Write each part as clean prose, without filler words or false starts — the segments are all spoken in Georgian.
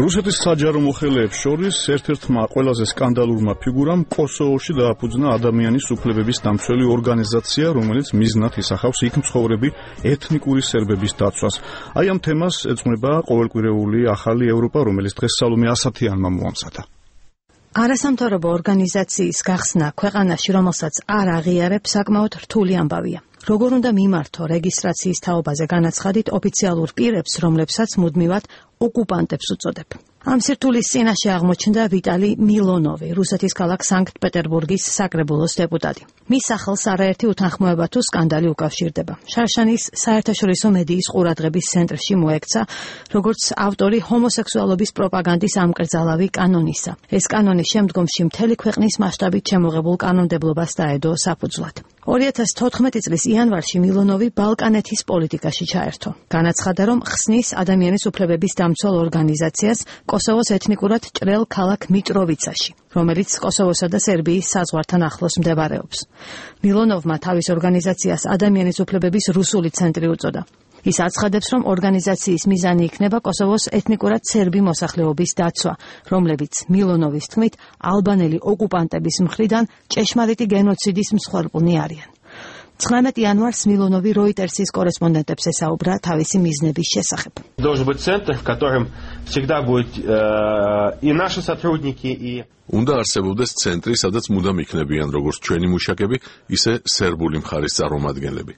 რუსეთის საჯარო მოხელეებს შორის ერთ-ერთმა ყველაზე სკანდალურმა ფიგურამ კოსოვოში დააფუძნა ადამიანის უფლებების დამცველი ორგანიზაცია, რომელიც მიზნად ისახავს იქ მცხოვრები ეთნიკური სერბების დაცვას. აი ამ თემას ეძღვნება ყოველკვირეული ახალი ევროპა, რომელიც დღეს სალომე ასათიანმა მოამზადა. არასამთავრობო ორგანიზაციის გახსნა ქვეყანაში, რომელსაც არ აღიარებს, საკმაოდ რთული ამბავია. როგორ უნდა მიმართო რეგისტრაციის თაობაზე განაცხადით ოფიციალურ პირებს, რომლებსაც მუდმივად ოკუპანტებს უწოდებ. ამ სირთულის წინაშე აღმოჩნდა ვიტალი მილონოვი, რუსეთის ქალაქ სანქტ-პეტერბურგის საკრებულოს დეპუტატი. მის სახელს არაერთი უთანხმოება თუ სკანდალი უკავშირდება. შარშანის საერთაშორისო მედიის ყურადღების ცენტრში მოექცა, როგორც ავტორი ჰომოსექსუალობის პროპაგანდის ამკრძალავი კანონისა. ეს კანონი შემდგომში მთელი ქვეყნის მასშტაბით შემოღებულ კანონმდებლობას დაედო საფუძვლად. 2014 წლის იანვარში მილონოვი ბალკანეთის პოლიტიკაში ჩაერთო. განაცხადა, რომ ხსნის ადამიანის უფლებების დამცველ ორგანიზაციას კოსოვოს ეთნიკურად ჭრელ ქალაქ მიტროვიცაში, რომელიც კოსოვოსა და სერბიის საზღვართან ახლოს მდებარეობს. მილონოვმა თავის ორგანიზაციას ადამიანის უფლებების რუსული ცენტრი უწოდა. ის აცხადებს, რომ ორგანიზაციის მიზანი იქნება კოსოვოს ეთნიკურად სერბი მოსახლეობის დაცვა, რომლებიც მილონოვის თქმით ალბანელი ოკუპანტების მხრიდან ჭეშმარიტი გენოციდის მსხვერპლნი არიან. 19 იანვარს მილონოვი როიტერსის კორესპონდენტებს ესაუბრა თავისი მიზნების შესახებ. უნდა არსებობდეს ცენტრი, სადაც მუდამ იქნებიან როგორც ჩვენი მუშაკები, ისე სერბული მხარის წარმომადგენლები.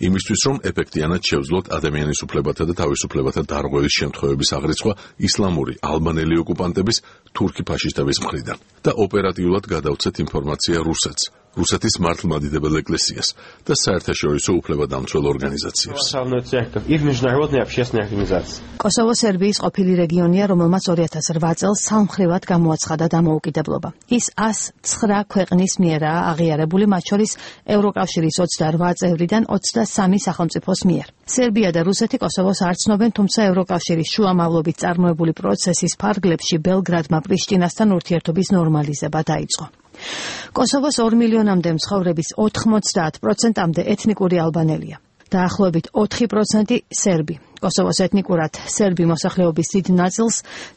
იმისთვის, რომ ეფექტიანად შევძლოთ ადამიანის უფლებათა და თავისუფლებათა დარღვევის შემთხვევების აღრიცხვა ისლამური ალბანელი ოკუპანტების თურქი ფაშისტების მხრიდან და ოპერატიულად გადავცეთ ინფორმაცია რუსეთს, რუსეთის მართლმადიდებელ ეკლესიას და საერთაშორისო უფლებადამცველ ორგანიზაციებს. კოსოვო სერბიის ყოფილი რეგიონია, რომელმაც 2008 წელს სამხრივად გამოაცხადა დამოუკიდებლობა. ის 109 ქვეყნის მიერაა აღიარებული, მათ შორის ევროკავშირის 28 წევრიდან 23 სახელმწიფოს მიერ. სერბია და რუსეთი კოსოვოს არ ცნობენ, თუმცა ევროკავშირის შუამავლობით წარმოებული პროცესის ფარგლებში ბელგრადმა პრიშტინასთან ურთიერთობის ნორმალიზება დაიწყო. კოსოვოს 2 მილიონამდე მცხოვრების 90%-მდე ეთნიკური ალბანელია. დაახლოებით 4% სერბი. კოსოვოს ეთნიკურად სერბი მოსახლეობის დიდ ნაწილს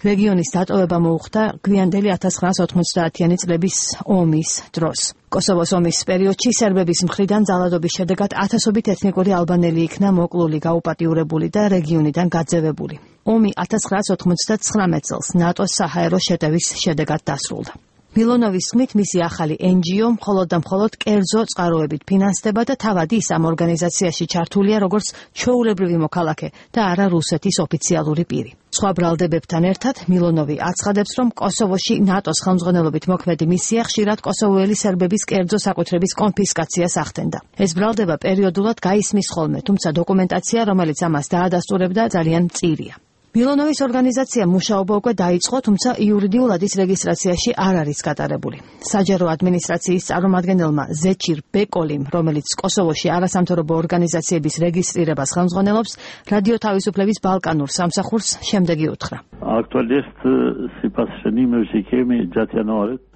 რეგიონის დატოვება მოუხდა გვიანდელი 1990-იანი წლების ომის დროს. კოსოვოს ომის პერიოდში სერბების მხრიდან ძალადობის შედეგად ათასობით ეთნიკური ალბანელი იქნა მოკლული, გაუპატიურებული და რეგიონიდან გაძევებული. ომი 1999 წელს ნატოს საჰაერო შეტევის შედეგად დასრულდა. მილონოვის თქმით, მისი ახალი NGO მხოლოდ და მხოლოდ კერძო წყაროებით ფინანსდება და თავად ის ამ ორგანიზაციაში ჩართულია როგორც ჩვეულებრივი მოქალაქე და არა რუსეთის ოფიციალური პირი. სხვა ბრალდებებთან ერთად მილონოვი აცხადებს, რომ კოსოვოში ნატოს ხელმძღვანელობით მოქმედი მისია ხშირად კოსოვოელი სერბების კერძო საკუთრების კონფისკაციას ახდენდა. ეს ბრალდება პერიოდულად გაისმის ხოლმე, თუმცა დოკუმენტაცია, რომელიც ამას დაადასტურებდა, ძალიან მწირია. მილონოვის ორგანიზაცია მუშაობა უკვე დაიწყო, თუმცა იურიდიულად ის რეგისტრაციაში არ არის გატარებული. საჯარო ადმინისტრაციის წარმომადგენელმა ზეჩირ ბეკოლიმ, რომელიც კოსოვოში არასამთავრობო ორგანიზაციების რეგისტრირებას ხელმძღვანელობს, რადიო თავისუფლების ბალკანურ სამსახურს შემდეგი უთხრა.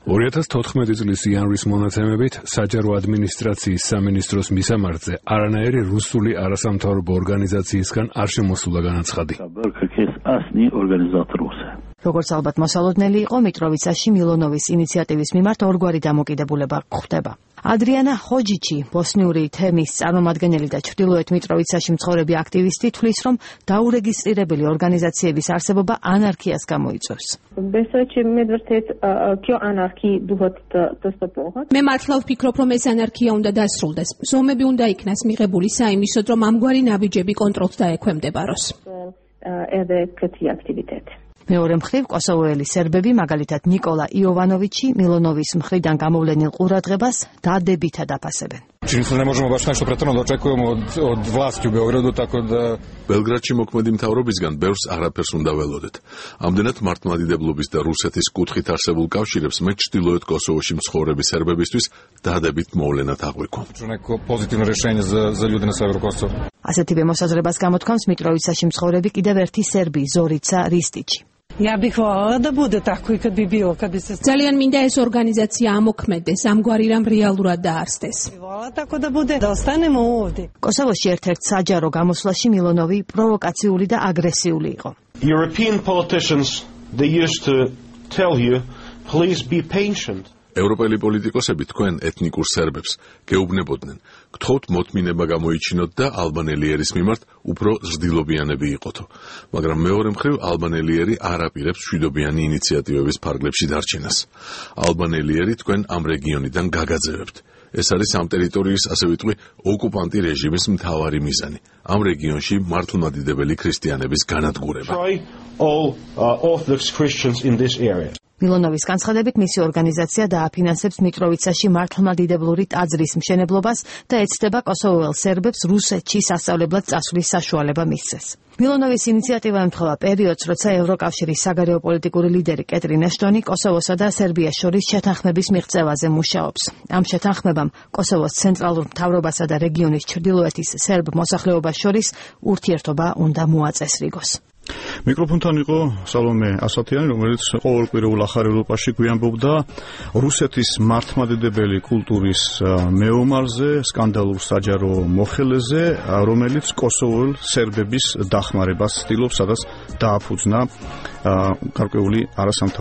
2014 წლის იანვრის მონაცემებით საჯარო ადმინისტრაციის სამინისტროს მისამართზე არანაირი რუსული არასამთავრობო ორგანიზაციისგან არ შემოსულა განაცხადი. როგორც ალბათ მოსალოდნელი იყო, მიტროვიცაში მილონოვის ინიციატივის მიმართ ორგვარი დამოკიდებულება გვხვდება. ადრიანა ჰოჯიჩი, ბოსნიური თემის წარმომადგენელი და ჩრდილოეთ მიტროვიცაში მცხოვრები აქტივისტი, თვლის, რომ დაურეგისტრირებელი ორგანიზაციების არსებობა ანარქიას გამოიწვევს. მე მართლა ვფიქრობ, რომ ეს ანარქია უნდა დასრულდეს. ზომები უნდა იქნას მიღებული საიმისოდ, რომ ამგვარი ნაბიჯები კონტროლს დაექვემდებაროს. მეორე მხრივ კოსოვოელი სერბები, მაგალითად ნიკოლა იოვანოვიჩი, მილონოვის მხრიდან გამოვლენილ ყურადღებას დადებითად აფასებენ. ბელგრადში მოქმედი მთავრობისგან ბევრს არაფერს უნდა ველოდეთ. ამდენად მართლმადიდებლობის და რუსეთის კუთხით არსებულ კავშირებს მე ჩრდილოეთ კოსოვოში მცხოვრები სერბებისთვის დადებით მოვლენად აღვიქვამ. ასეთივე მოსაზრებას გამოთქვამს მიტროვიცაში მცხოვრები კიდევ ერთი სერბი, ზორიცა რისტიჩი. ძალიან მინდა ეს ორგანიზაცია ამოქმედეს, ამგვარი რამ რეალურად დაარსდეს. კოსოვოში ერთ-ერთ საჯარო გამოსვლაში მილონოვი პროვოკაციული და აგრესიული იყო. European politicians they used to tell you, please be patient. ევროპელი პოლიტიკოსები თქვენ ეთნიკურ სერბებს გეუბნებოდნენ, გთხოვთ მოთმინება გამოიჩინოთ და ალბანელიერის მიმართ უფრო ზრდილობიანები იყოთო. მაგრამ მეორე მხრივ ალბანელიერი არ აპირებს მშვიდობიანი ინიციატივების ფარგლებში დარჩენას. ალბანელიერი თქვენ ამ რეგიონიდან გაგაძევებთ. ეს არის ამ ტერიტორიის, ასე ვიტყვი, ოკუპანტი რეჟიმის მთავარი მიზანი. ამ რეგიონში მართლმადიდებელი ქრისტიანების განადგურება. All Orthodox Christians in this area. მილონოვის განცხადებით მისი ორგანიზაცია დააფინანსებს მიტროვიცაში მართლმადიდებლური ტაძრის მშენებლობას და ეცდება კოსოვოელ სერბებს რუსეთში სასწავლებლად წასვლის საშუალება მისცეს. მილონოვის ინიციატივა ემთხვევა პერიოდს, როცა ევროკავშირის საგარეო პოლიტიკური ლიდერი კეტრინ აშტონი კოსოვოსა და სერბიას შორის შეთანხმების მიღწევაზე მუშაობს. ამ შეთანხმებამ კოსოვოს ცენტრალურ მთავრობასა და რეგიონის ჩრდილოეთის სერბ მოსახლეობას შორის ურთიერთობა უნდა მოაწესრიგოს. მიკროფონთან იყო სალომე ასათიანი, რომელიც ყოველკვირეულ ახალ ევროპაში გვიამბობდა რუსეთის მართლმადიდებელი კულტურის მეომარზე, სკანდალურ საჯარო მოხელეზე, რომელიც კოსოვოელ სერბების დახმარებას ცდილობს, სადაც დააფუძნა გარკვეული არასამთავრობო